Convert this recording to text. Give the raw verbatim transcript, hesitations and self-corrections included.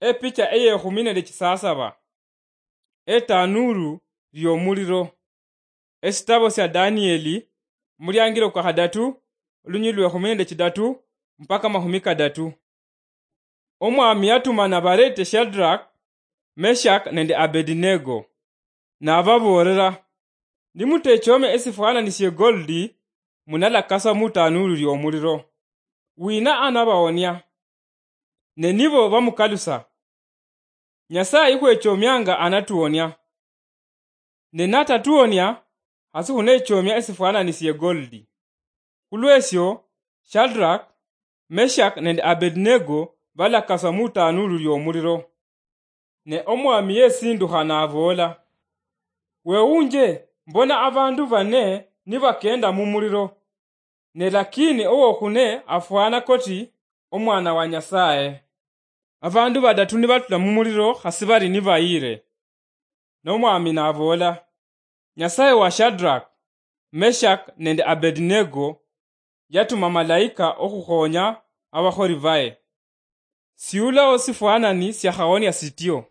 Epicha eyekhumi nende chisasaba. Etanuuru lyomuliro. Esitabo sya Danieli, muliangiro kwa khadatu, olunyilili lwekhumi nende chidatu mpaka makhumi kadatu. Omwami yatumana barete Shadrach, Meshach nende Abednego, nababoolera, "Nimutechome esifwanani sye goldi, munalakaswa mutanuulu lyomuliro. Wina anabawonia?" Ne nibo bamukalusa, "Nyasaye ikhwechomianga anatuwonia. Ne natatuwonia, hasi khunechomia esifwanani sye goldi." Khulwesyo, Shadrach, Meshach nende Abednego balakaswa mutanuulu lyomuliro. Ne omwami yesindukha naboola, "Wewunje, mbona abandu bane nibakenda mumuliro, ne lakini owokhune afwana koti omwana wa Nyasaye." Abandu badatu nibatula mumuliro khasi bali nibayire. Nomwami naboola, "Nyasaye wa Shadrach, Meshach nende Abednego yatuma malaika okhukhonya abakholi baye. Siulawo sifwanani siakhawonia sityo."